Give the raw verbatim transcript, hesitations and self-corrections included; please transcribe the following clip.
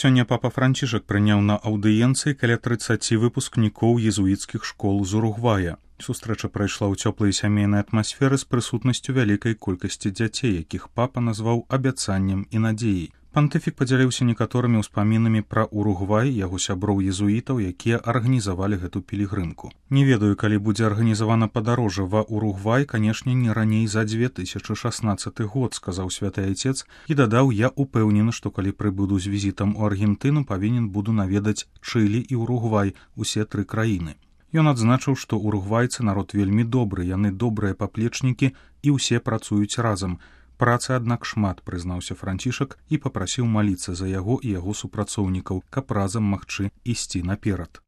Сёння папа Францішак прыняў на аўдыенцыі каля трыццаці выпускнікоў езуіцкіх школ з Уругвая. Сустрэча прайшла ў цёплай сямейнай атмасферы з прысутнасцю вялікай колькасці дзяцей, якіх папа назваў абяцаннем і надзеяй. Пантыфік падзяліўся некаторымі ўспамінамі пра Уругвай, яго сяброў-езуітаў, якія арганізавалі гэту пілігрымку. Не ведаю, калі будзе арганізавана падарожжа ва Уругвай, канешне, не раней за дзве тысячы шаснаццаты год, сказаў святы айцец і дадаў: я упэўнены, што калі прыбуду з візітам у Аргентыну, павінен буду наведаць Чылі і Уругвай, усе тры краіны. Ён адзначыў, што уругвайцы народ вельмі добры, яны добрыя паплечнікі і ўсе працуюць разам. Працы, аднак, шмат, прызнаўся Францішак і папрасіў маліцца за яго і яго супрацоўнікаў, каб разам магчы ісці наперад.